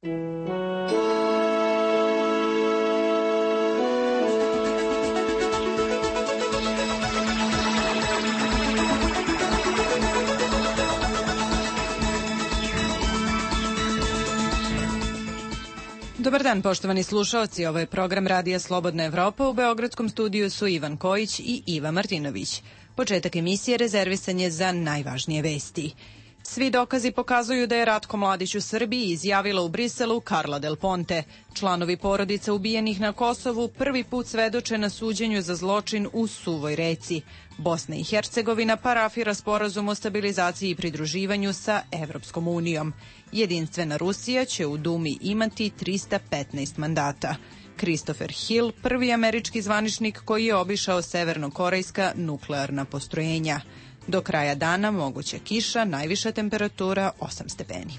Dobar dan, poštovani slušaoci. Ovo je program Radija Slobodna Evropa. U beogradskom studiju su Ivan Kojić i Iva Martinović. Početak emisije rezervisan je za najvažnije vesti. Svi dokazi pokazuju da je Ratko Mladić u Srbiji, izjavila u Briselu Carla Del Ponte. Članovi porodica ubijenih na Kosovu prvi put svedoče na suđenju za zločin u Suvoj Reci. Bosna i Hercegovina parafira sporazum o stabilizaciji i pridruživanju sa Evropskom unijom. Jedinstvena Rusija će u Dumi imati 315 mandata. Christopher Hill, prvi američki zvaničnik koji je obišao severnokorejska nuklearna postrojenja. Do kraja dana moguća kiša, najviša temperatura 8 stepeni.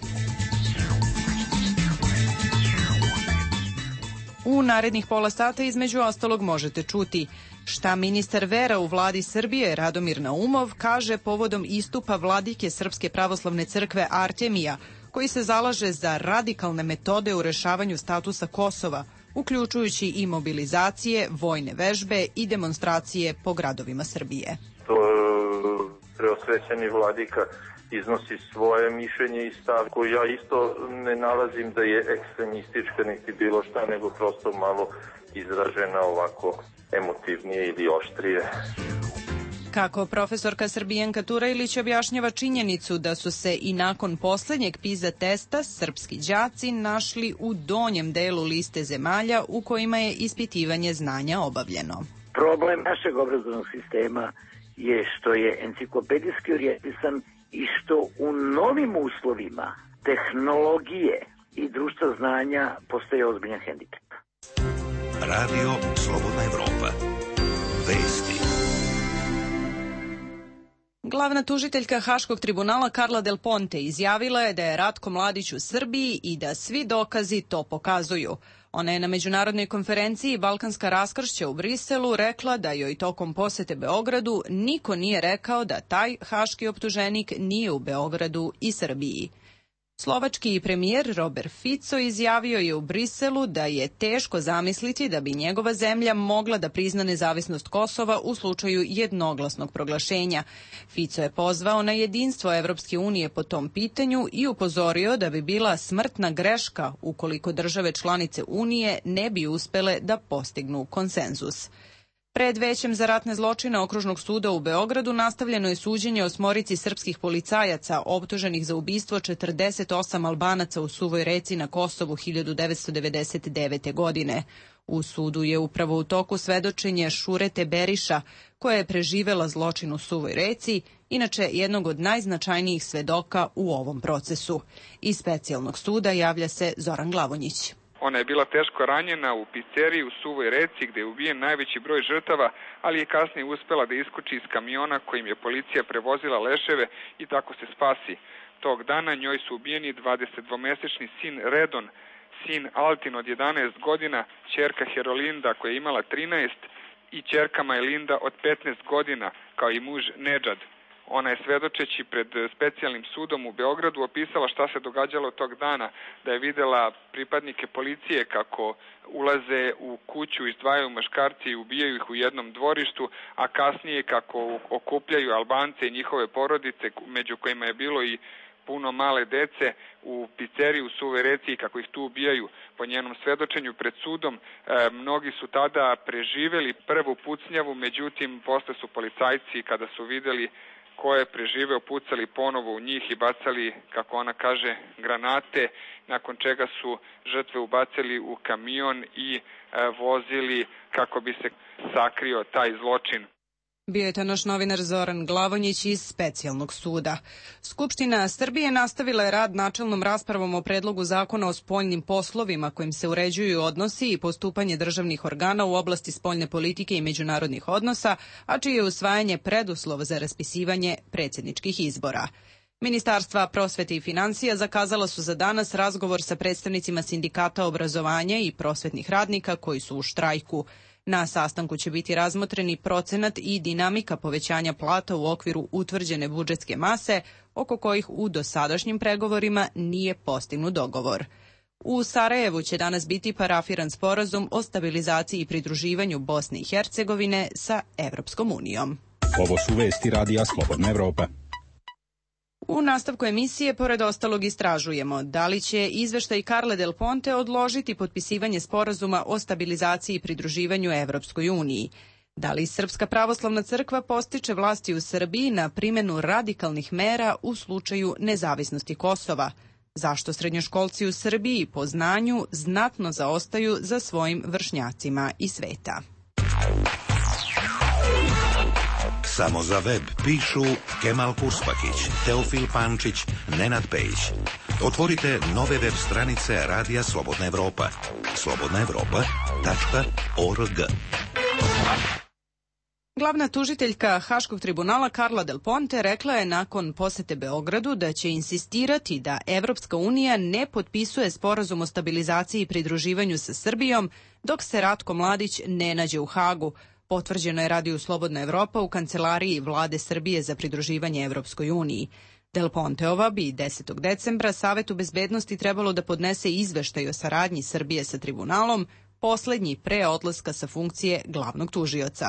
U narednih pola sata između ostalog možete čuti šta ministar vera u vladi Srbije Radomir Naumov kaže povodom istupa vladike Srpske pravoslavne crkve Artemija, koji se zalaže za radikalne metode u rešavanju statusa Kosova, uključujući i mobilizacije, vojne vežbe i demonstracije po gradovima Srbije. Preosvećeni vladika iznosi svoje mišljenje i stav koji ja isto ne nalazim da je ekstremistička niti bilo šta, nego prosto malo izražena ovako emotivnije ili oštrije. Kako profesorka Srbijanka Turajlić objašnjava činjenicu da su se i nakon poslednjeg PISA testa srpski đaci našli u donjem delu liste zemalja u kojima je ispitivanje znanja obavljeno. Problem našeg obrazovnog sistema je što je enciklopedijski orijentisan i što u novim uslovima tehnologije i društva znanja postaje ozbiljan hendikep. Radio Slobodna Evropa. Vesti. Glavna tužiteljka Haškog tribunala Carla Del Ponte izjavila je da je Ratko Mladić u Srbiji i da svi dokazi to pokazuju. Ona je na međunarodnoj konferenciji Balkanska raskršća u Briselu rekla da joj tokom posete Beogradu niko nije rekao da taj haški optuženik nije u Beogradu i Srbiji. Slovački premijer Robert Fico izjavio je u Briselu da je teško zamisliti da bi njegova zemlja mogla da prizna nezavisnost Kosova u slučaju jednoglasnog proglašenja. Fico je pozvao na jedinstvo Evropske unije po tom pitanju i upozorio da bi bila smrtna greška ukoliko države članice Unije ne bi uspele da postignu konsenzus. Pred Većem za ratne zločine Okružnog suda u Beogradu nastavljeno je suđenje osmorici srpskih policajaca optuženih za ubistvo 48 Albanaca u Suvoj Reci na Kosovu 1999. godine. U sudu je upravo u toku svedočenje Šurete Beriša, koja je preživela zločin u Suvoj Reci, inače jednog od najznačajnijih svedoka u ovom procesu. Iz specijalnog suda javlja se Zoran Glavonjić. Ona je bila teško ranjena u pizzeriji u Suvoj Reci gde je ubijen najveći broj žrtava, ali je kasnije uspela da iskoči iz kamiona kojim je policija prevozila leševe i tako se spasi. Tog dana njoj su ubijeni 22-mesečni sin Redon, sin Altin od 11 godina, ćerka Herolinda koja je imala 13 i ćerka Majlinda od 15 godina, kao i muž Nedžad. Ona je svedočeći pred specijalnim sudom u Beogradu opisala šta se događalo tog dana, da je videla pripadnike policije kako ulaze u kuću, izdvajaju muškarci i ubijaju ih u jednom dvorištu, a kasnije kako okupljaju Albance i njihove porodice, među kojima je bilo i puno male dece, u pizzeriji u Suvoj Reci i kako ih tu ubijaju. Po njenom svedočenju pred sudom mnogi su tada preživeli prvu pucnjavu, međutim posle su policajci kada su videli ko je preživeo pucali ponovo u njih i bacali, kako ona kaže, granate, nakon čega su žrtve ubacili u kamion i vozili kako bi se sakrio taj zločin. Bio je to naš novinar Zoran Glavonjić iz specijalnog suda. Skupština Srbije nastavila je rad načelnom raspravom o predlogu zakona o spoljnim poslovima kojim se uređuju odnosi i postupanje državnih organa u oblasti spoljne politike i međunarodnih odnosa, a čije je usvajanje preduslov za raspisivanje predsjedničkih izbora. Ministarstva prosvete i finansija zakazala su za danas razgovor sa predstavnicima sindikata obrazovanja i prosvetnih radnika koji su u štrajku. Na sastanku će biti razmotreni procenat i dinamika povećanja plata u okviru utvrđene budžetske mase, oko kojih u dosadašnjim pregovorima nije postignut dogovor. U Sarajevu će danas biti parafiran sporazum o stabilizaciji i pridruživanju Bosne i Hercegovine sa Evropskom unijom. Ovo su vesti Radija Slobodna Evropa. U nastavku emisije, pored ostalog, istražujemo da li će izveštaj Carle Del Ponte odložiti potpisivanje sporazuma o stabilizaciji i pridruživanju Evropskoj uniji. Da li Srpska pravoslavna crkva postiče vlasti u Srbiji na primjenu radikalnih mera u slučaju nezavisnosti Kosova? Zašto srednjoškolci u Srbiji po znanju znatno zaostaju za svojim vršnjacima iz sveta? Samo za web pišu Kemal Kurspakić, Teofil Pančić, Nenad Pejić. Otvorite nove web stranice Radija Slobodna Evropa. slobodnaevropa.org. Glavna tužiteljka Haškog tribunala Carla Del Ponte rekla je nakon posete Beogradu da će insistirati da Evropska unija ne potpisuje sporazum o stabilizaciji i pridruživanju sa Srbijom dok se Ratko Mladić ne nađe u Hagu. Potvrđeno je Radiju Slobodna Evropa u kancelariji Vlade Srbije za pridruživanje Evropskoj uniji. Del Ponteova bi 10. decembra Savetu bezbednosti trebalo da podnese izveštaj o saradnji Srbije sa tribunalom, poslednji pre odlaska sa funkcije glavnog tužioca.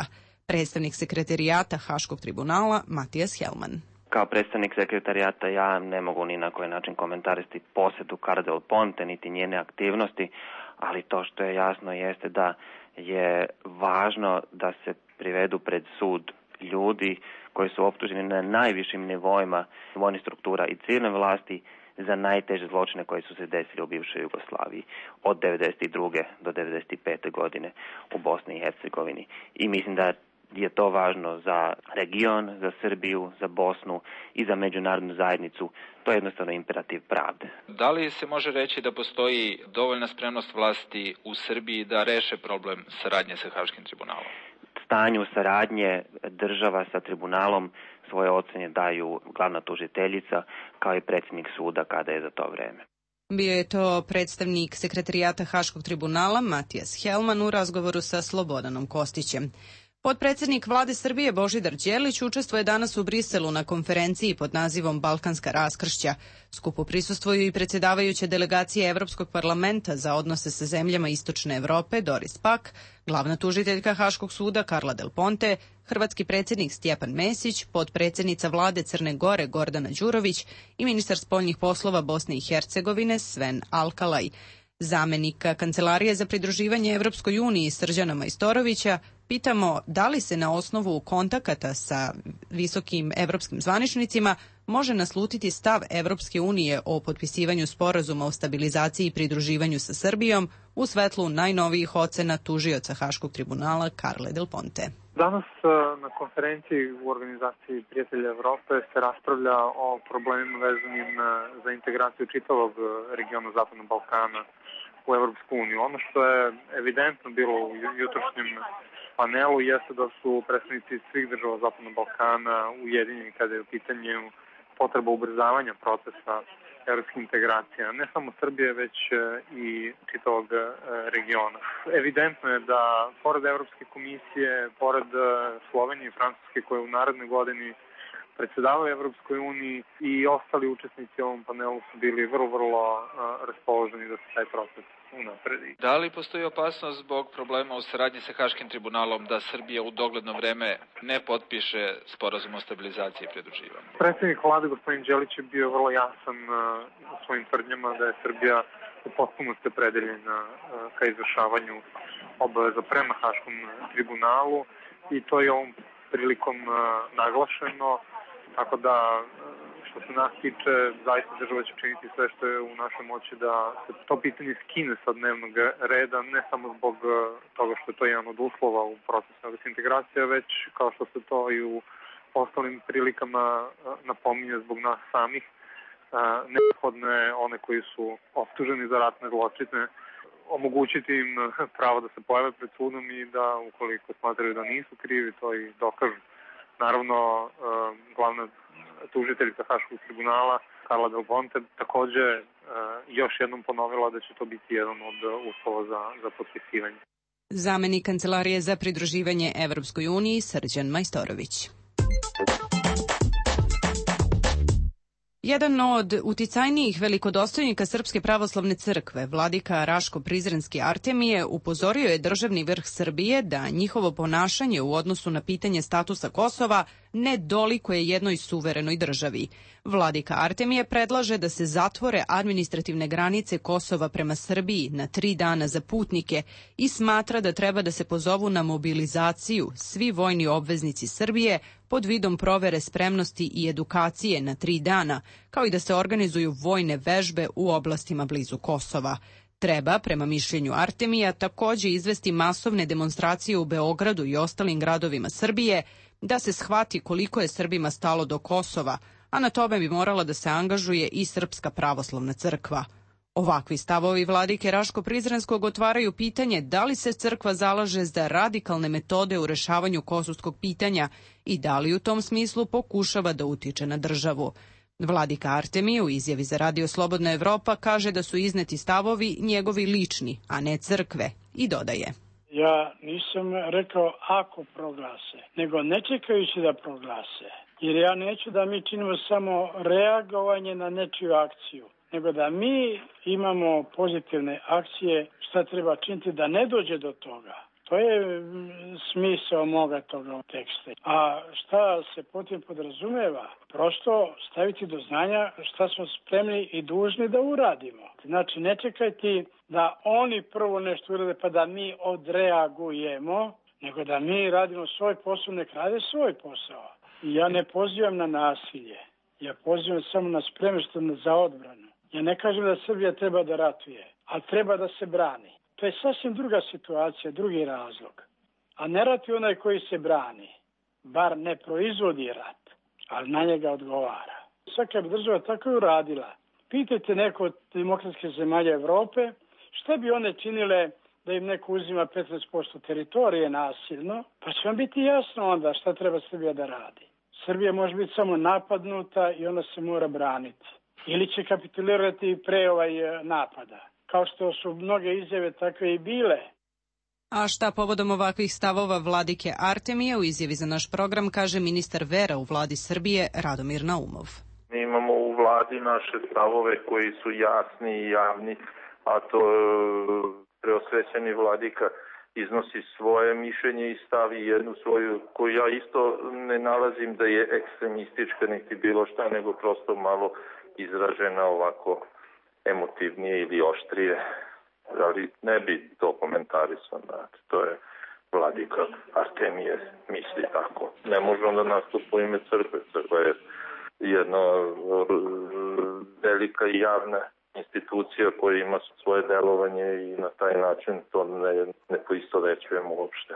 Predstavnik sekretarijata Haškog tribunala Matijas Helman. Kao predstavnik sekretarijata ja ne mogu ni na koji način komentarisati posetu Carle Del Ponte niti njene aktivnosti, ali to što je jasno jeste da je važno da se privedu pred sud ljudi koji su optuženi na najvišim nivoima vojnih struktura i civilne vlasti za najteže zločine koji su se desili u bivšoj Jugoslaviji od 1992. do 1995. godine u Bosni i Hercegovini. I mislim da je to važno za region, za Srbiju, za Bosnu i za međunarodnu zajednicu. To je jednostavno imperativ pravde. Da li se može reći da postoji dovoljna spremnost vlasti u Srbiji da reše problem saradnje sa Haškim tribunalom? Stanju saradnje država sa tribunalom svoje ocene daju glavna tužiteljica kao i predsjednik suda kada je za to vreme. Bio je to predstavnik sekretarijata Haškog tribunala Matijas Helman u razgovoru sa Slobodanom Kostićem. Potpredsednik Vlade Srbije Božidar Đelić učestvuje danas u Briselu na konferenciji pod nazivom Balkanska raskršća. Skupu prisustvuju i predsjedavajuća delegacija Evropskog parlamenta za odnose sa zemljama Istočne Evrope Doris Pack, glavna tužiteljka Haškog suda Carla Del Ponte, hrvatski predsjednik Stjepan Mesić, potpredsjednica Vlade Crne Gore Gordana Đurović i ministar spoljnih poslova Bosne i Hercegovine Sven Alkalaj. Zamenika Kancelarije za pridruživanje Evropskoj uniji Srđana Majstorovića pitamo da li se na osnovu kontakata sa visokim evropskim zvaničnicima može naslutiti stav Evropske unije o potpisivanju sporazuma o stabilizaciji i pridruživanju sa Srbijom u svetlu najnovijih ocena tužioca Haškog tribunala Carle Del Ponte. Danas na konferenciji u organizaciji Prijatelja Evrope se raspravlja o problemima vezanim za integraciju čitavog regiona Zapadnog Balkana u Evropsku uniju. Ono što je evidentno bilo u jutrošnjem panelu jeste da su predstavnici svih država Zapadnog Balkana ujedinjeni kada je u pitanju potreba ubrzavanja procesa evropskih integracija, ne samo Srbije, već i čitavog regiona. Evidentno je da pored Evropske komisije, pored Slovenije i Francuske koje u narednoj godini predsjedavaju Evropskoj uniji i ostali učesnici u ovom panelu su bili vrlo raspoloženi da se taj proces unapredi. Da li postoji opasnost zbog problema u saradnji sa Haškim tribunalom da Srbija u dogledno vreme ne potpiše sporazum o stabilizaciji i pridruživanju? Predsjednik vlade gospodin Đelić je bio vrlo jasan u svojim tvrdnjama da je Srbija u potpunosti opredeljena ka izvršavanju obaveza prema Haškom tribunalu i to je ovom prilikom naglašeno. Tako da, što se nas tiče, zaista država će činiti sve što je u našoj moći da se to pitanje skine sa dnevnog reda, ne samo zbog toga što je to jedan od uslova u procesu integracije, već kao što se to i u ostalim prilikama napominje zbog nas samih, neophodne one koji su optuženi za ratne zločine, omogućiti im pravo da se pojave pred sudom i da, ukoliko smatraju da nisu krivi, to i dokažu. Naravno, glavna tužiteljica Haškog tribunala Carla Del Ponte takođe još jednom ponovila da će to biti jedan od uslova za potpisivanje. Zamenik Kancelarije za pridruživanje Evropskoj uniji Srđan Majstorović. Jedan od uticajnijih velikodostojnika Srpske pravoslavne crkve, vladika Raško-Prizrenski Artemije, upozorio je državni vrh Srbije da njihovo ponašanje u odnosu na pitanje statusa Kosova ne dolikuje jednoj suverenoj državi. Vladika Artemije predlaže da se zatvore administrativne granice Kosova prema Srbiji na 3 dana za putnike i smatra da treba da se pozovu na mobilizaciju svi vojni obveznici Srbije pod vidom provere spremnosti i edukacije na 3 dana, kao i da se organizuju vojne vežbe u oblastima blizu Kosova. Treba, prema mišljenju Artemija, takođe izvesti masovne demonstracije u Beogradu i ostalim gradovima Srbije, da se shvati koliko je Srbima stalo do Kosova, a na tome bi morala da se angažuje i Srpska pravoslavna crkva. Ovakvi stavovi vladike Raško-Prizrenskog otvaraju pitanje da li se crkva zalaže za radikalne metode u rešavanju kosovskog pitanja i da li u tom smislu pokušava da utiče na državu. Vladika Artemije u izjavi za Radio Slobodna Evropa kaže da su izneti stavovi njegovi lični, a ne crkve, i dodaje: Ja nisam rekao ako proglase, nego ne čekajući da proglase. Jer ja neću da mi činimo samo reagovanje na nečiju akciju, nego da mi imamo pozitivne akcije, šta treba činiti da ne dođe do toga. To je smisao moga toga teksta. A šta se potem podrazumeva? Prosto staviti do znanja šta smo spremni i dužni da uradimo. Znači, ne čekajte da oni prvo nešto urade pa da mi odreagujemo, nego da mi radimo svoj posao, nek rade svoj posao. Ja ne pozivam na nasilje. Ja pozivam samo na spremnost za odbranu. Ja ne kažem da Srbija treba da ratuje, ali treba da se brani. To je sasvim druga situacija, drugi razlog. A ne ratuje onaj koji se brani. Bar ne proizvodi rat, ali na njega odgovara. Svaka bi država tako i uradila. Pitajte neko od demokratske zemalja Evrope, šta bi one činile da im neko uzima 15% teritorije nasilno, pa će vam biti jasno onda šta treba Srbija da radi. Srbija može biti samo napadnuta i ona se mora braniti. Ili će kapitulirati pre napada, kao što su mnoge izjave takve i bile. A šta povodom ovakvih stavova vladike Artemije u izjavi za naš program kaže ministar vera u vladi Srbije Radomir Naumov. Mi imamo u vladi naše stavove koji su jasni i javni, a to preosvećeni vladika iznosi svoje mišljenje i stavi jednu svoju, koju ja isto ne nalazim da je ekstremistička niti bilo šta, nego prosto malo izražena ovako emotivnije ili oštrije, ali ne bi to komentarisao, znači, to je vladika Artemije misli tako. Ne može onda nastupa u ime crkve, crkva je jedna velika i javna institucija koja ima svoje delovanje i na taj način to ne poistovećujemo uopšte.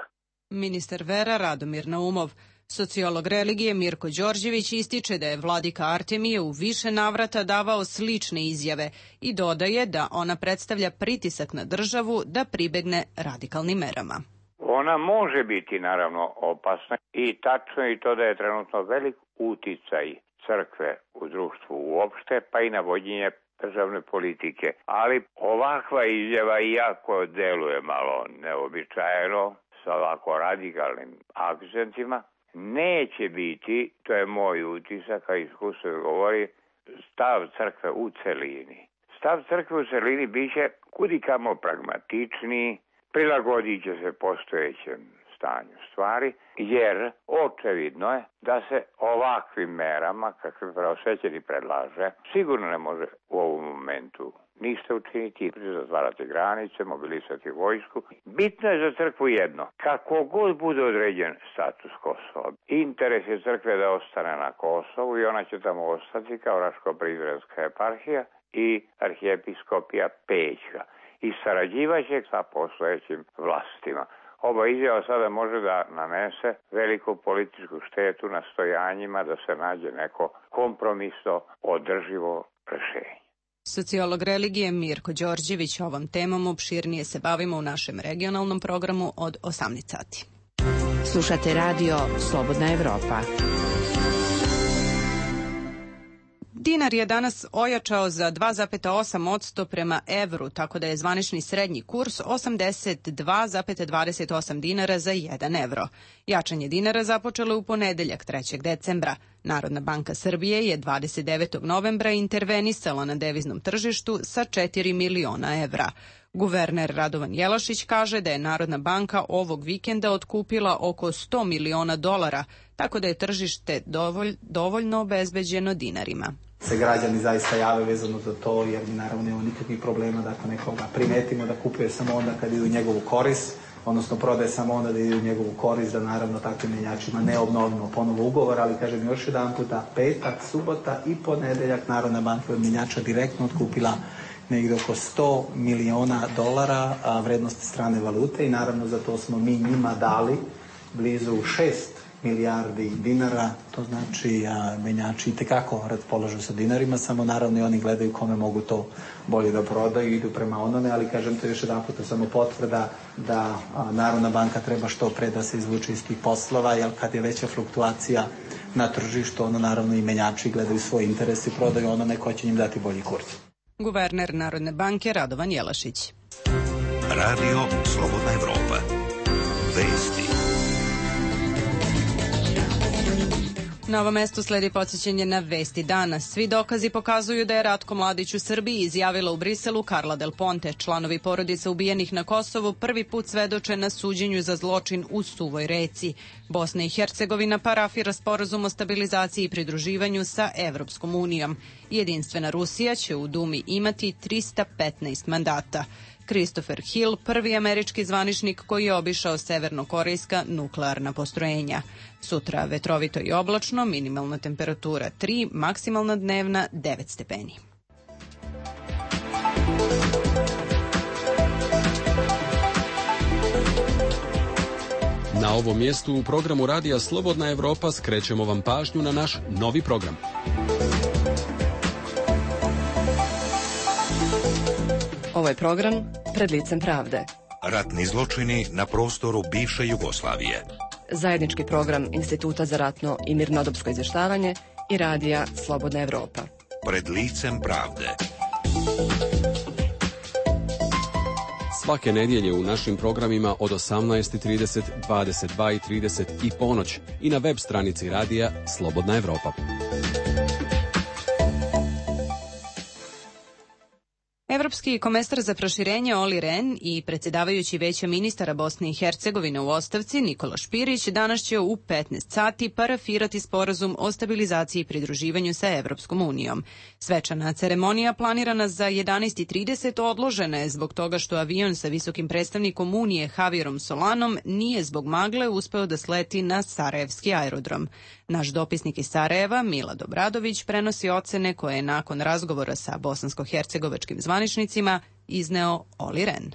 Ministar vera Radomir Naumov. Sociolog religije Mirko Đorđević ističe da je vladika Artemije u više navrata davao slične izjave i dodaje da ona predstavlja pritisak na državu da pribegne radikalnim merama. Ona može biti naravno opasna i tačno je to da je trenutno velik uticaj crkve u društvu uopšte, pa i na vođenje državne politike. Ali ovakva izjava, iako deluje malo neobičajeno, sa ovako radikalnim akcentima, neće biti, to je moj utisak, a iskustvo govori, stav crkve u celini. Stav crkve u celini biće kudikamo pragmatičniji, prilagodit će se postojećem stanju stvari, jer očevidno je da se ovakvim merama, kakve preosvećeni predlaže, sigurno ne može u ovom momentu ništa učiniti, zatvarati granice, mobilisati vojsku. Bitno je za crkvu jedno, kako god bude određen status Kosova. Interes je crkve da ostane na Kosovu i ona će tamo ostati kao Raško-Prizrenska eparhija i arhijepiskopija Pećka i sarađivaće sa postojećim vlastima. Ova izjava sada može da nanese veliku političku štetu nastojanjima da se nađe neko kompromisno održivo rešenje. Sociolog religije Mirko Đorđević ovom temom opširnije se bavimo u našem regionalnom programu od 18 sati. Slušate radio Slobodna Evropa. Dinar je danas ojačao za 2,8% prema evru, tako da je zvanični srednji kurs 82,28 dinara za 1 evro. Jačanje dinara započelo u ponedeljak 3. decembra. Narodna banka Srbije je 29. novembra intervenisala na deviznom tržištu sa 4 miliona evra. Guverner Radovan Jelašić kaže da je Narodna banka ovog vikenda otkupila oko 100 miliona dolara, tako da je tržište dovoljno obezbeđeno dinarima. Se građani zaista jave vezano za to, jer mi naravno nema nikakvih problema da ako nekoga primetimo da kupuje samo onda kad ide u njegovu korist, odnosno prodaje samo onda da ide u njegovu korist, da naravno takvim menjačima ne obnovimo ponovo ugovor, ali kažem još jedan puta, petak, subota i ponedeljak Narodna banka od menjača direktno otkupila negdje oko 100 miliona dolara vrednosti strane valute i naravno za to smo mi njima dali blizu 6 milijardi dinara, to znači menjači itekako raspolažu sa dinarima, samo naravno i oni gledaju kome mogu to bolje da prodaju i idu prema onome, ali kažem to još jedan puta samo potvrda da Narodna banka treba što pre da se izvuče iz tih poslova, jer kad je veća fluktuacija na tržištu, ono naravno i menjači gledaju svoj interes i prodaju onome ko će njim dati bolji kurs. Guverner Narodne banke Radovan Jelašić. Radio Slobodna Evropa. Vesti. Na ovom mestu sledi podsjećanje na vesti dana. Svi dokazi pokazuju da je Ratko Mladić u Srbiji, izjavila u Briselu Carla Del Ponte. Članovi porodica ubijenih na Kosovu prvi put svedoče na suđenju za zločin u Suvoj Reci. Bosna i Hercegovina parafira sporazum o stabilizaciji i pridruživanju sa Evropskom unijom. Jedinstvena Rusija će u Dumi imati 315 mandata. Christopher Hill, prvi američki zvaničnik koji je obišao severnokorejska nuklearna postrojenja. Sutra vetrovito i oblačno, minimalna temperatura 3, maksimalna dnevna 9 stepeni. Na ovom mjestu u programu Radija Slobodna Evropa skrećemo vam pažnju na naš novi program. Ovo je program Pred licem pravde. Ratni zločini na prostoru bivše Jugoslavije. Zajednički program Instituta za ratno i mirnodopsko izvještavanje i Radija Slobodna Evropa. Pred licem pravde. Svake nedjelje u našim programima od 18:30, 22:30 i ponoć i na web stranici Radija Slobodna Evropa. Evropski komesar za proširenje Olli Rehn i predsjedavajući Veća ministara Bosne i Hercegovine u ostavci Nikola Špirić danas će u 15 sati parafirati sporazum o stabilizaciji i pridruživanju sa Evropskom unijom. Svečana ceremonija planirana za 11:30 odložena je zbog toga što avion sa visokim predstavnikom Unije Javierom Solanom nije zbog magle uspeo da sleti na Sarajevski aerodrom. Naš dopisnik iz Sarajeva, Milad Obradović, prenosi ocene koje je nakon razgovora sa bosansko-hercegovačkim zvaničnicima izneo Olli Rehn.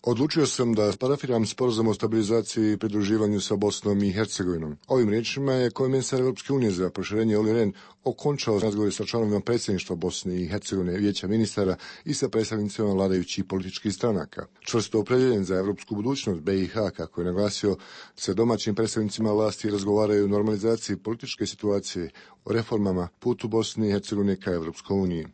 Odlučio sam da parafiram sporazum o stabilizaciji i pridruživanju sa Bosnom i Hercegovinom. Ovim riječima je komesar Evropske unije za proširenje Olli Rehn okončao razgovor sa članovima predsjedništva Bosne i Hercegovine, Vijeća ministara i sa predstavnicima vladajućih političkih stranaka. Čvrsto opredjeljen za evropsku budućnost BiH, kako je naglasio, sa domaćim predstavnicima vlasti razgovaraju o normalizaciji političke situacije, o reformama, putu Bosne i Hercegovine ka Evropskoj uniji.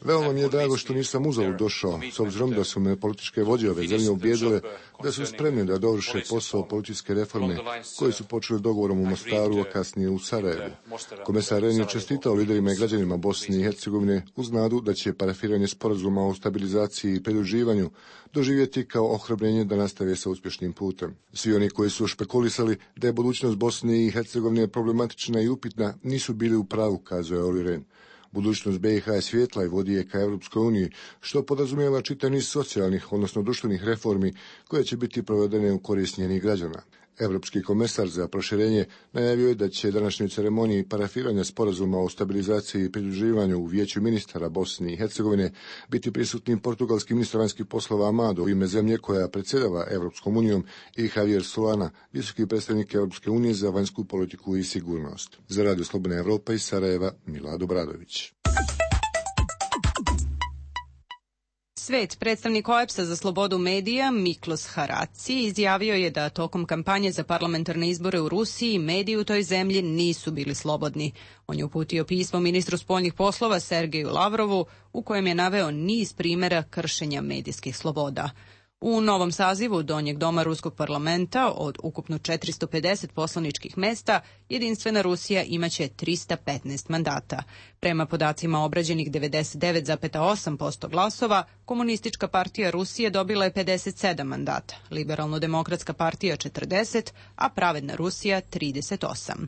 Veoma mi je drago što nisam uzalud došao, s obzirom da su me političke vođe ove zemlje ubijedile da su spremni da dovrše posao političke reforme koje su počeli dogovorom u Mostaru, a kasnije u Sarajevu. Komesar Rehn je čestitao liderima i građanima Bosne i Hercegovine uz nadu da će parafiranje sporazuma o stabilizaciji i pridruživanju doživjeti kao ohrabrenje da nastave sa uspješnim putem. Svi oni koji su špekulisali da je budućnost Bosne i Hercegovine problematična i upitna nisu bili u pravu, kazao je Olli Rehn. Budućnost BiH je svjetla i vodi je ka Evropskoj uniji, što podrazumijeva čitav niz socijalnih, odnosno društvenih reformi koje će biti provedene u korist njenih građana. Evropski komesar za proširenje najavio je da će današnjoj ceremoniji parafiranja sporazuma o stabilizaciji i pridruživanju u Vijeću ministara Bosne i Hercegovine biti prisutni portugalski ministar vanjskih poslova Amado u ime zemlje koja predsjedava Evropskom unijom i Javier Solana, visoki predstavnik Evropske unije za vanjsku politiku i sigurnost. Za Radio Slobodna Evropa iz Sarajeva, Milad Obradović. Svet, predstavnik OEBS-a za slobodu medija Miklos Haraci izjavio je da tokom kampanje za parlamentarne izbore u Rusiji mediji u toj zemlji nisu bili slobodni. On je uputio pismo ministru spoljnih poslova Sergeju Lavrovu u kojem je naveo niz primjera kršenja medijskih sloboda. U novom sazivu Donjeg doma Ruskog parlamenta od ukupno 450 poslaničkih mesta, Jedinstvena Rusija imaće 315 mandata. Prema podacima obrađenih 99,8% glasova, Komunistička partija Rusije dobila je 57 mandata, Liberalno-demokratska partija 40, a Pravedna Rusija 38.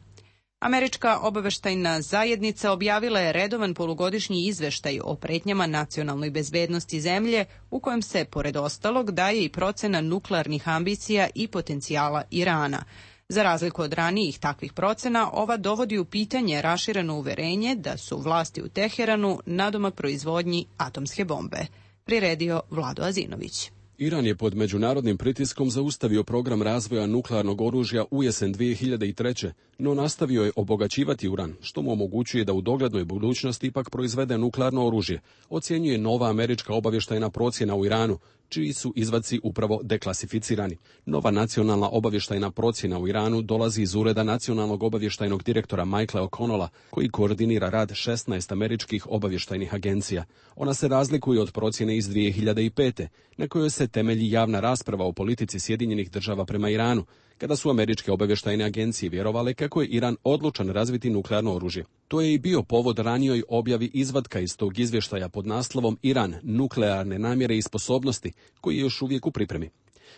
Američka obaveštajna zajednica objavila je redovan polugodišnji izveštaj o pretnjama nacionalnoj bezbednosti zemlje u kojem se, pored ostalog, daje i procena nuklearnih ambicija i potencijala Irana. Za razliku od ranijih takvih procena, ova dovodi u pitanje rašireno uverenje da su vlasti u Teheranu nadomak proizvodnji atomske bombe. Priredio Vlado Azinović. Iran je pod međunarodnim pritiskom zaustavio program razvoja nuklearnog oružja u jesen 2003. no nastavio je obogaćivati uran, što mu omogućuje da u doglednoj budućnosti ipak proizvede nuklearno oružje, ocjenjuje nova američka obavještajna procjena u Iranu, čiji su izvaci upravo deklasificirani. Nova nacionalna obavještajna procjena u Iranu dolazi iz ureda nacionalnog obavještajnog direktora Michaela O'Connella, koji koordinira rad 16 američkih obavještajnih agencija. Ona se razlikuje od procjene iz 2005. na kojoj se temelji javna rasprava o politici Sjedinjenih država prema Iranu, kada su američke obavještajne agencije vjerovale kako je Iran odlučan razviti nuklearno oružje. To je i bio povod ranijoj objavi izvatka iz tog izvještaja pod naslovom Iran, nuklearne namjere i sposobnosti, koji je još uvijek u pripremi.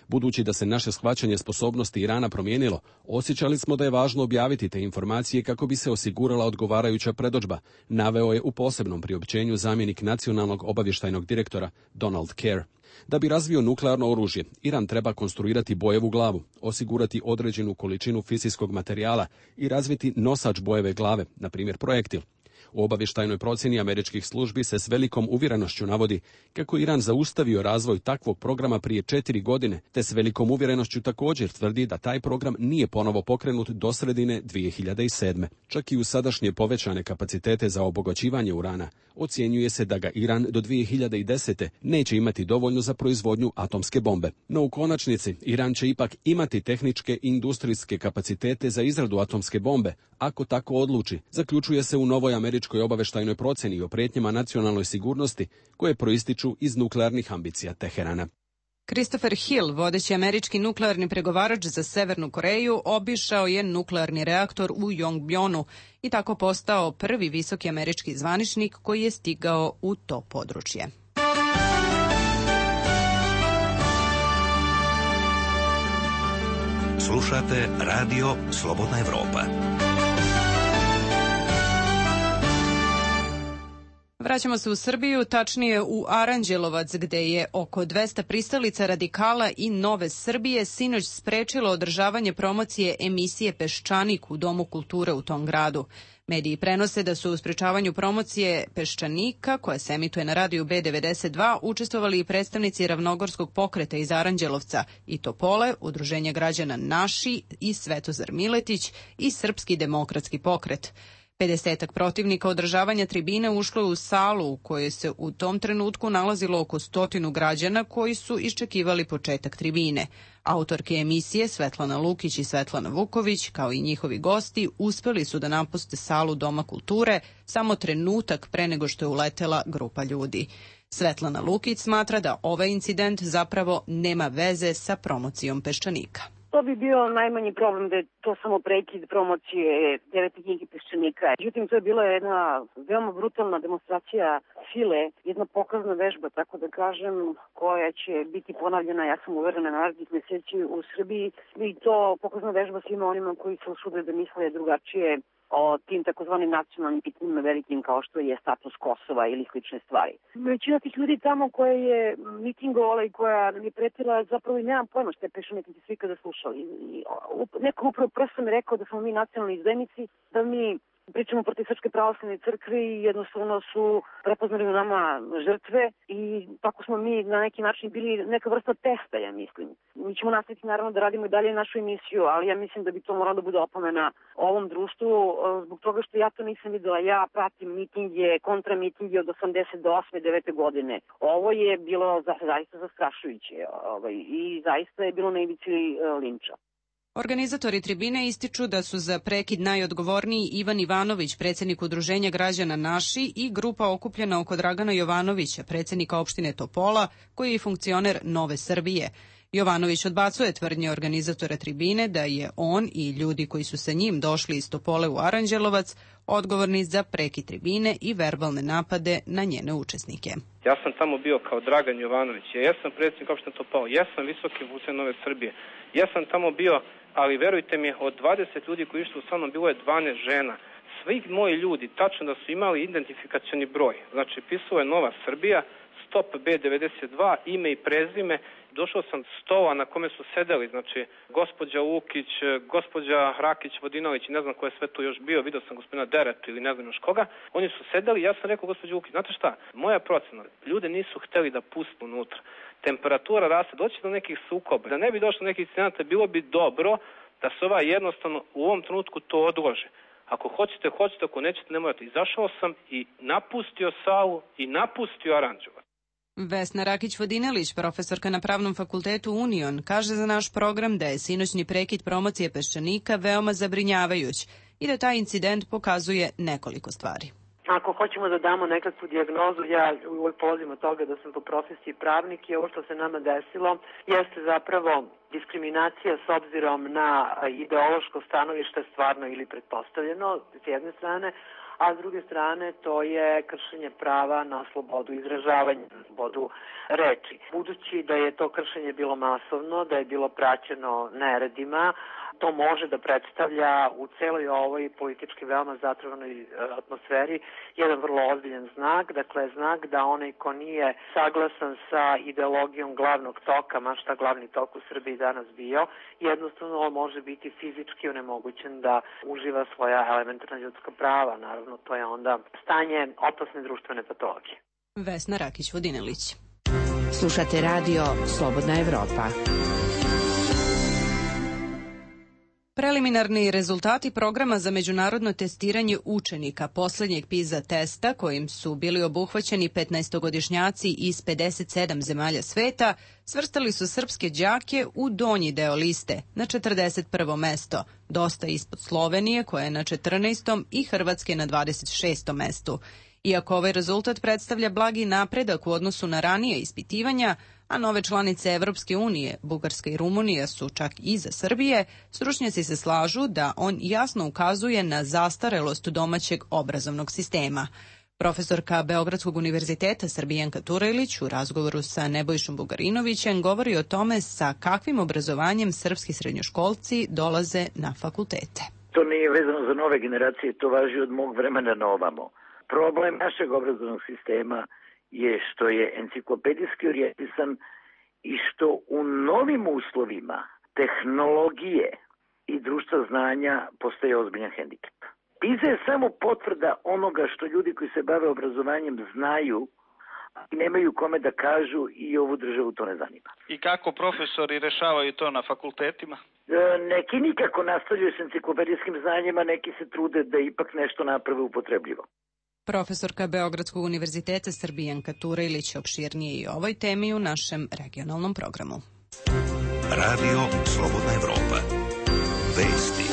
Budući da se naše shvaćanje sposobnosti Irana promijenilo, osjećali smo da je važno objaviti te informacije kako bi se osigurala odgovarajuća predodžba, naveo je u posebnom priopćenju zamjenik nacionalnog obavještajnog direktora Donald Kerr. Da bi razvio nuklearno oružje, Iran treba konstruirati bojevu glavu, osigurati određenu količinu fizijskog materijala i razviti nosač bojeve glave, na primjer projektil. U obavještajnoj procjeni američkih službi se s velikom uvjerenošću navodi kako je Iran zaustavio razvoj takvog programa prije 4 godine, te s velikom uvjerenošću također tvrdi da taj program nije ponovo pokrenut do sredine 2007. Čak i u sadašnje povećane kapacitete za obogaćivanje urana, ocjenjuje se da ga Iran do 2010. neće imati dovoljno za proizvodnju atomske bombe. No u konačnici, Iran će ipak imati tehničke i industrijske kapacitete za izradu atomske bombe, ako tako odluči, zaključuje se u novoj američkoj obavještajnoj procjeni o prijetnjama nacionalnoj sigurnosti koje proističu iz nuklearnih ambicija Teherana. Christopher Hill, vodeći američki nuklearni pregovarač za Severnu Koreju, obišao je nuklearni reaktor u Yongbyon i tako postao prvi visoki američki zvaničnik koji je stigao u to područje. Slušate Radio Slobodna Evropa. Vraćamo se u Srbiju, tačnije u Aranđelovac, gde je oko 200 pristalica radikala i Nove Srbije sinoć sprečilo održavanje promocije emisije Peščanik u Domu kulture u tom gradu. Mediji prenose da su u sprečavanju promocije Peščanika, koja se emituje na radiju B92, učestvovali i predstavnici Ravnogorskog pokreta iz Aranđelovca i Topole, Udruženja građana Naši i Svetozar Miletić i Srpski demokratski pokret. 50 protivnika održavanja tribine ušlo je u salu u kojoj se u tom trenutku nalazilo oko 100 građana koji su iščekivali početak tribine. Autorke emisije Svetlana Lukić i Svetlana Vuković, kao i njihovi gosti, uspeli su da napuste salu Doma kulture samo trenutak pre nego što je uletela grupa ljudi. Svetlana Lukić smatra da ovaj incident zapravo nema veze sa promocijom Peščanika. To bi bio najmanji problem da je to samo prekid promocije 9. knjige Peščanika. Međutim, to je bila jedna veoma brutalna demonstracija sile, jedna pokazna vežba, tako da kažem, koja će biti ponavljena, ja sam uverena, narednih meseci u Srbiji. I to pokazna vežba svima onima koji se usude da misle drugačije o tim takozvanim nacionalnim pitanjima velikim kao što je status Kosova ili slične stvari. Većina tih ljudi tamo koja je mitingovala i koja nam je pretila, zapravo i nemam pojma što je Peščanik, niti svi kada slušali. Neko upravo prosto mi rekao da smo mi nacionalni izdajnici, da mi pričamo protiv Srpske pravoslavne crkve i jednostavno su prepoznali u nama žrtve i tako smo mi na neki način bili neka vrsta testa, ja mislim. Mi ćemo nastaviti naravno da radimo i dalje našu emisiju, ali ja mislim da bi to moralo da bude opomena ovom društvu zbog toga što ja to nisam videla. Ja pratim mitinge, kontramitinge od 88. 9. godine. Ovo je bilo zaista zastrašujuće i zaista je bilo na ivici linča. Organizatori tribine ističu da su za prekid najodgovorniji Ivan Ivanović, predsjednik Udruženja građana Naši, i grupa okupljena oko Dragana Jovanovića, predsjednika opštine Topola, koji je funkcioner Nove Srbije. Jovanović odbacuje tvrdnje organizatora tribine da je on i ljudi koji su sa njim došli iz Topole u Aranđelovac odgovorni za prekid tribine i verbalne napade na njene učesnike. Ja sam tamo bio kao Dragan Jovanović, ja sam predsjednik opštine Topola, ja sam visoki funkcioner Nove Srbije, ja sam tamo bio, ali verujte mi, od 20 ljudi koji su sa mnom bilo je 12 žena. Svi moji ljudi, tačno da su imali identifikacioni broj. Znači, pisao je Nova Srbija, Stop B92, ime i prezime. Došao sam stola na kome su sedeli, znači, gospođa Lukić, gospođa Rakić-Vodinović, ne znam ko je sve tu još bio, vidio sam gospodina Deretu ili ne znam još koga. Oni su sedeli, ja sam rekao gospođa Lukić, znate šta, moja procena, ljude nisu hteli da pustu unutra. Temperatura raste, doći do nekih sukoba. Da ne bi došlo do nekih incidenata, bilo bi dobro da se jednostavno u ovom trenutku to odlože. Ako hoćete, ako nećete, ne morate. Izašao sam i napustio salu i napustio Aranđelovac. Vesna Rakić-Vodinelić, profesorka na Pravnom fakultetu Union, kaže za naš program da je sinoćni prekid promocije Peščanika veoma zabrinjavajuć i da taj incident pokazuje nekoliko stvari. Ako hoćemo da damo nekakvu dijagnozu, ja uvijek polazim od toga da sam po profesiji pravnik i ovo što se nama desilo jeste zapravo diskriminacija s obzirom na ideološko stanovište stvarno ili pretpostavljeno s jedne strane, a s druge strane to je kršenje prava na slobodu izražavanja, na slobodu reči. Budući da je to kršenje bilo masovno, da je bilo praćeno neredima, to može da predstavlja u celoj ovoj politički veoma zatrovnoj atmosferi jedan vrlo ozbiljan znak, dakle znak da onaj ko nije saglasan sa ideologijom glavnog toka, ma šta glavni tok u Srbiji danas bio, jednostavno on može biti fizički onemogućen da uživa svoja elementarna ljudska prava. Naravno, to je onda stanje opasne društvene patologije. Vesna Rakić-Vodinelić. Slušate radio Slobodna Evropa. Preliminarni rezultati programa za međunarodno testiranje učenika poslednjeg PISA testa, kojim su bili obuhvaćeni 15-godišnjaci iz 57 zemalja sveta, svrstali su srpske đake u donji deo liste, na 41. mesto, dosta ispod Slovenije koja je na 14. i Hrvatske na 26. mestu. Iako ovaj rezultat predstavlja blagi napredak u odnosu na ranije ispitivanja, a nove članice Evropske unije, Bugarska i Rumunija su čak iza Srbije, stručnjaci se slažu da on jasno ukazuje na zastarelost domaćeg obrazovnog sistema. Profesorka Beogradskog univerziteta Srbijanka Turajlić u razgovoru sa Nebojšom Bugarinovićem govori o tome sa kakvim obrazovanjem srpski srednjoškolci dolaze na fakultete. To nije vezano za nove generacije, to važi od mog vremena na ovamo. Problem našeg obrazovnog sistema je što je enciklopedijski orijentisan i što u novim uslovima tehnologije i društva znanja postaje ozbiljan hendikep. PISA je samo potvrda onoga što ljudi koji se bave obrazovanjem znaju i nemaju kome da kažu i ovu državu to ne zanima. I kako profesori rešavaju to na fakultetima? Neki nikako nastavljaju s enciklopedijskim znanjima, neki se trude da ipak nešto naprave upotrebljivo. Profesorka Beogradskog univerziteta Srbijanka Turajlić opširnije i o ovoj temi u našem regionalnom programu. Radio Slobodna Evropa. Vesti.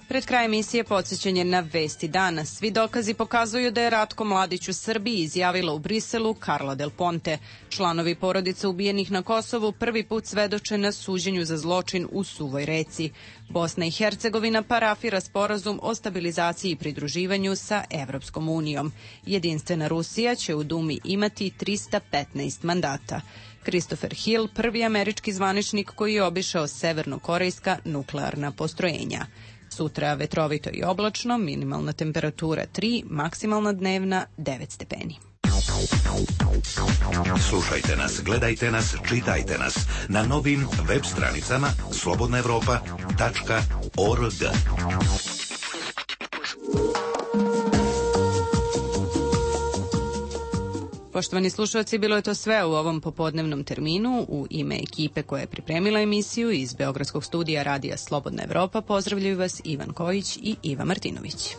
Pred kraj emisije podsjećanje na vesti dana. Svi dokazi pokazuju da je Ratko Mladić u Srbiji, izjavila u Briselu Carla Del Ponte. Članovi porodice ubijenih na Kosovu prvi put svedoče na suđenju za zločin u Suvoj Reci. Bosna i Hercegovina parafira sporazum o stabilizaciji i pridruživanju sa Evropskom unijom. Jedinstvena Rusija će u Dumi imati 315 mandata. Christopher Hill, prvi američki zvaničnik koji je obišao severnokorejska nuklearna postrojenja. Sutra vetrovito i oblačno, minimalna temperatura 3, maksimalna dnevna 9 stepeni. Slušajte nas, gledajte nas, čitajte nas na novim web stranicama slobodnaevropa.org. Poštovani slušalci, bilo je to sve u ovom popodnevnom terminu. U ime ekipe koja je pripremila emisiju iz Beogradskog studija Radija Slobodna Evropa pozdravljaju vas Ivan Kojić i Iva Martinović.